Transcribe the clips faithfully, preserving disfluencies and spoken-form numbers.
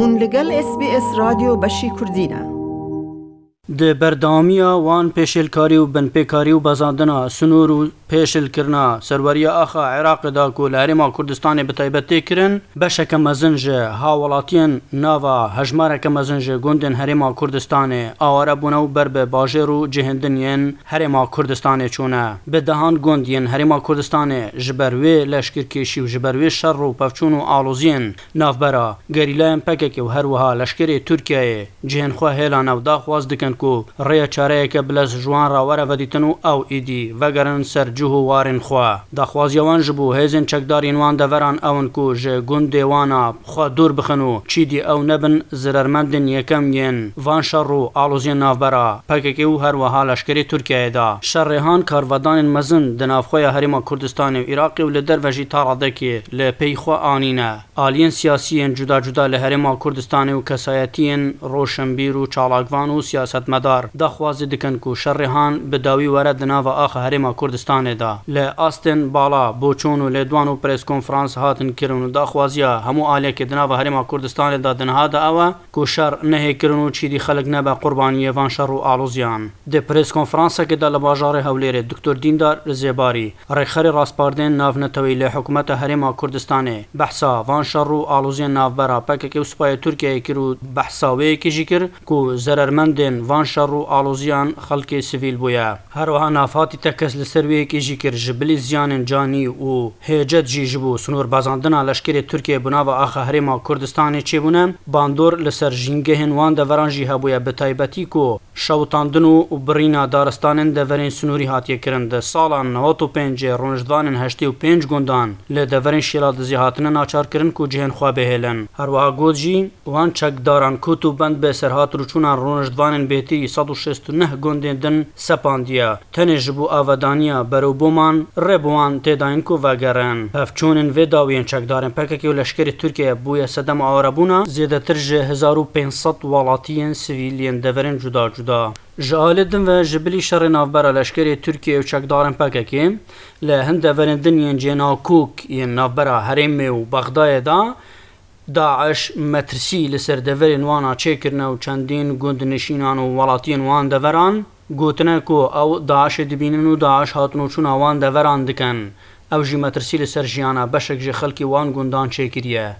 Hûn li gel S B S Radyo Beşî Kurdî ne. Di berdewamiya wan pêşêlkarî û binpêkarî û bezandina sinûr û pêşilkirina serweriya axa Iraqê da ku li Herêma Kurdistanê bi taybet tê kirin, beşeke mezin ji hawwelatiyên nava hejmareke mezin ji gundên Herêma Kurdistanê aware bûne û ber bi bajêr û cihên din yên Herêma Kurdistanê çûne. Bi dehan gund yên Herêma Kurdistanê ji ber wê leşkerkêşî û ji ber wê şer û pevçûn û aloziyên navbera gerîlayên P K K û her wiha leşkerê Tirkiyeyê cihên xwe hêlane û daxwaz dikin ku rêya çareyeke bilez ji wan re were vedîtin û ew êdî vegerin ser cih û warên xwe. Daxwaziya wan ji bo hêzên çekdar yên wan deveran ew in ku ji gundê wan a xwe dûr bixin û çîdî ew nebin zirermendên yekem yên van şer û aloziyên navbera P K K û her wiha leşkerê Tirkiyeyê de. Şer rêhan karvedanên mezin di navxweya Herêma Kurdistanê û Iraqê û li derve jî ta radekê li pey xwe anîne. Aliyên siyasî yên cuda cuda li Herêma Kurdistanê û kesayetiyên roşenbîr û çalakvan û siyasetmedar daxwazî dikin ku şer rêhan bi dawî were di nava axa Herêma Kurdistanê de. Li astên bala, boçûn û lêdwan û preskonferans hatin kirin û daxwaziya hemû aliyekê di nava Herêma Kurdistanê de di niha de ew e ku şer nehêkirin û çîdî xelk nebe qurbaniyê van şer û aloziyan. Di preskonferansekê de li bajarê Hewlêrê Doktor Dîndar Zêbarî, rêxerê raspardên navneteweyî li Hikûmeta Herêma Kurdistanê, behsa van şer û aloziyên navbera P K K û Supayê Tirkiyeyê kir û behsa wê yekê jî kir ku zerermendên van şer û aloziyan xelkê sivîl bûye. Her wiha navhatî tekez li ser wê yekê jî kir, ji bilî ziyanên canî û hêcet jî ji bo sinorbazandina leşkerê Tirkiyeyê bi nava axa Herêma Kurdistanê çêbûne, bandor li ser jîngehên wan deveran jî hebûye, bi taybetî ku şewitandin û, û birîna daristanên deverên sinûrî hatiye kirin. Di sala newet û pêncê rûniştvanên heştê û pênc gundan li deverên Şêladizê hatine naçarkirin ku cihên xwe bihêlin. Her wiha got jî, wan çekdaran kot û bend bi serhatrûçûna rûniştvanên bêtirî sed û şêst û neh gundên din sepandiye. Tenê ji bo avedaniya berewboman rê bi wan tê dayîn ku vegerin. Pevçûnên vê dawiyên çekdarên P K K û leşkerê Tirkiye bûye sedema awarebûna zêdetir ji hezar û pênc sed welatiyên sivîl yên deverên cuda cuda. Ji alê din ve ji bilî şerê navbera leşkerê Tirkiye û çekdarên P K K li hin deverên din yên cênakok yên navbera herêmê û Bexdayê de, DAIŞ metirsî li ser deverên wan a çêkirine û çendîn gundnişînan û welatiyên wan deveran gotine ku ew DAIŞê dibînin û DAIŞ hatinûçûna wan deveran dikin. Ew jî metirsî li ser jiyana beşek ji xelkê wan gundan çêkiriye.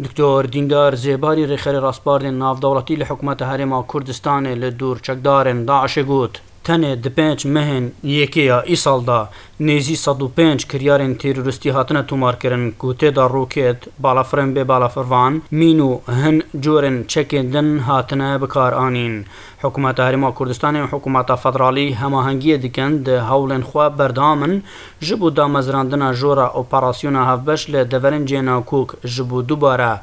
Doktor Dîndar Zêbarî, rêxerê raspardên navdewletî li Hikûmeta Herêma Kurdistanê, li dûr çekdarên DAIŞê got, tenê di pênc mehên yekê ya îsal de nêzî sed û pênc kiryarên terorîstî hatine tomarkirin ku tê de roket, balafirên bê balafirvan, mîn û hin corên çekên din hatine bikaranîn. Hikûmeta Herêma Kurdistanê û Hikûmeta Federalî hemahengiyê dikin, di hewlên xwe berdewam in ji bo damezrandina jora operasyona hevbeş li deverên cênakok ji bo dubare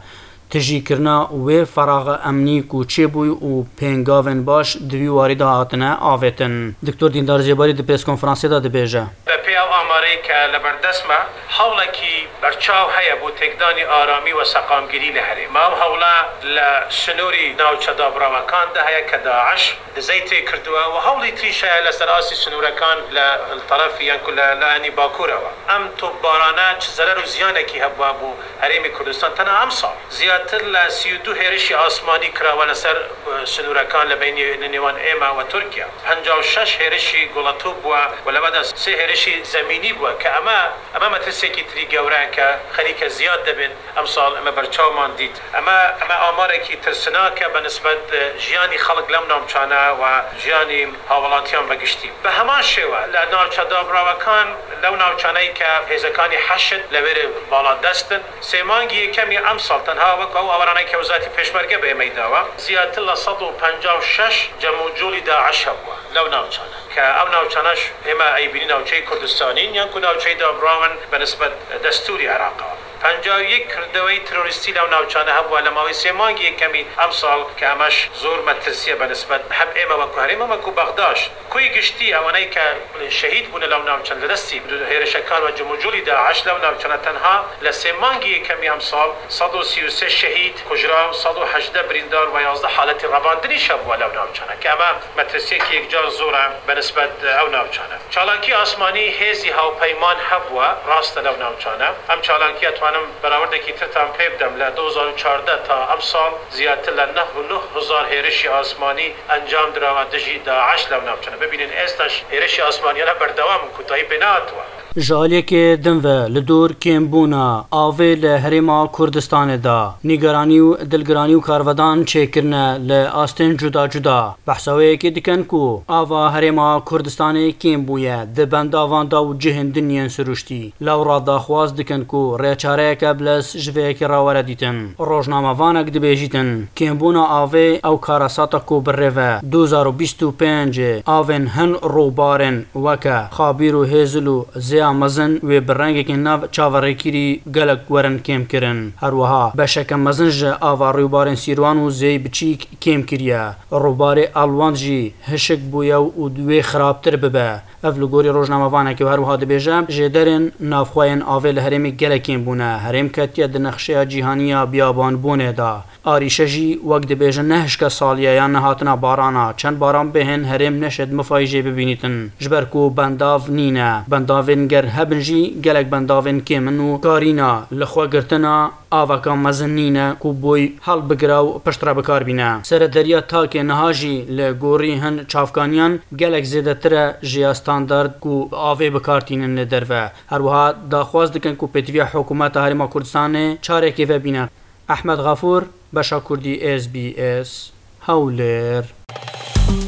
tijîkirina wê feraxa emnî ku çêbûy û pêngavên baş di vî warî de hatine avêtin. Doktor Dîndar Zêbarî di preskonferansê de dibêje. Bi pê ew amareyê ke li ber dest me, hewlekî berçaw heye bo têkdanî aramî û seqamgirî li herêma. Ev hewla li sinûrî navçe dabirawekan de heye ke DAIŞ dizey tê kirdiwe û hewlî tîş heye li ser astî sinûrekan li, li terefî yan ku li, li enî bakur e we. Em topbarane çi zerer û ziyanekî hebû bo Herêmê Kurdistan tena emsal. Ziyatir li sî û du hêrişî asmanî kirawe li ser, e, sinûrekan li beynî li nêwan ême we Tirkiye. Penca û şeş hêrişî goletop bûye û li we de sê hêrişî zemînî bûye ke eme, eme metirsekî tirî gewre ye ke xelîke ziyad dibin. Emsal eme berçaw man dît. Eme, eme amarekî tirsinak e be nisbet, e, jiyanî xelk lew navçane û jiyanî hawelatiyan ve giştî. Bi heman şêwe, li navçe dabirawekan lew navçaneyê ke hêzekanî heşd li wêrê bala dest in. Sêmangî yekemî emsal tenha wek ew awaraneyê ke wezarîtî pêşmerge bi êmeyî dawe, ziyatir li sed û penca û şeş cem û colî DAIŞ hebûwe lew navçane. Ke ew navçane ême ey bînî navçeyê Kurdistanîn yan ku navçeyê dabirawen be nisbet destûrî Iraqê. Penca û yek kirdeweyî terorîstî lew navçane hebûwe, li mawê sê mangî yekemî emsal ke eme ji zor metirsiye be nisbet hem ême wekû herêma wekû Bexdaş. Ku yê giştî ewaneyê ke şehîd bûne lew navçan li destî hêrişekan ve cumhurcolî DAIŞ lew navçane tenha li sê mangî yekemî emsal sed û sî û sê şehîd, kujra, sed û hejdeh birîndar ve yazdeh haletî revandinî şebûwe lew navçane. Ke eme metirsiyekî yekcar zor e be nisbet ew navçane. Çalakî asmanî hêzî hawpeyman hebûwe, rast e lew navçane. Em çalakiya Em berawendekî tir tam pê bidem, li du hezar û çardeh ta emsal ziyadtir li neh û neh hezar hêrişî asmanî encam dirawa dijî DAIŞ li navçe ne. Bibînin êsta jî hêrişî asmaniyane berdewam in, kûtayî pê nehatwe. Ji aliyekê din ve li dor kêmbûna avê li Herêma Kurdistanê de nîgeranî û dilgiranî û karvedan çêkirine li astên cuda cuda. Behsa wê yekê dikin ku ava Herêma Kurdistanê kêm bûye di bendavan de û cihên din yên siruştî. Lewra daxwaz dikin ku rêçareyeke bilez ji vê yekê re were dîtin. Rojnamevanek dibêjîtin, kêmbûna avê ew karasata ku bi rê ve du hezar û bîst û pênc avên hin rûbarên weke Xabîr û Hêzil û Zêya Mezin wê bi rengekî nav çaverêkirî gelek werin kêmkirin. Her wiha beşeke mezin ji ava rûbarên Sîrwan û Zêyî Biçîk kêm kiriye. Rûbarê Elwand jî hişk bûye û wê xirabtir bibe. Ev li gorî rojnamevanekê û her wiha dibêje, jêderên navxweyên avê li herêmê gelek kêm bûne. Herêm ketiye di nexşeya cîhanî ya biyabanbûnê de. Arîşe jî wek dibêjin ne hişke salî ye yan nehatina barana. Çend baran bihên herêm neşêt mifayî jê bibînîtin. Ji ber ku bendav nîne. Bendavên ger hebin jî gelek bendavên kêm in û karîna li xwe girtina aveka mezin nîne ku boy helbigire û piştre bikar bîne. Serederiya takê niha jî li gorî hin çavkaniyan gelek zêdetir e ji ya standard ku avê bikar tînin li derve. Her wiha daxwaz dikin ku pêtiviya Hikûmeta Herêma Kurdistanê çarekê vebîne. Ehmed Xafûr, Beşa Kurdî, S B S, Hewlêr.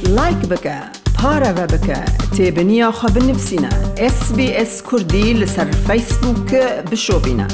Like bike, pareve bike, têbiniya xwe binivîsîne. S B S Kurdî li ser Facebook bişopîne.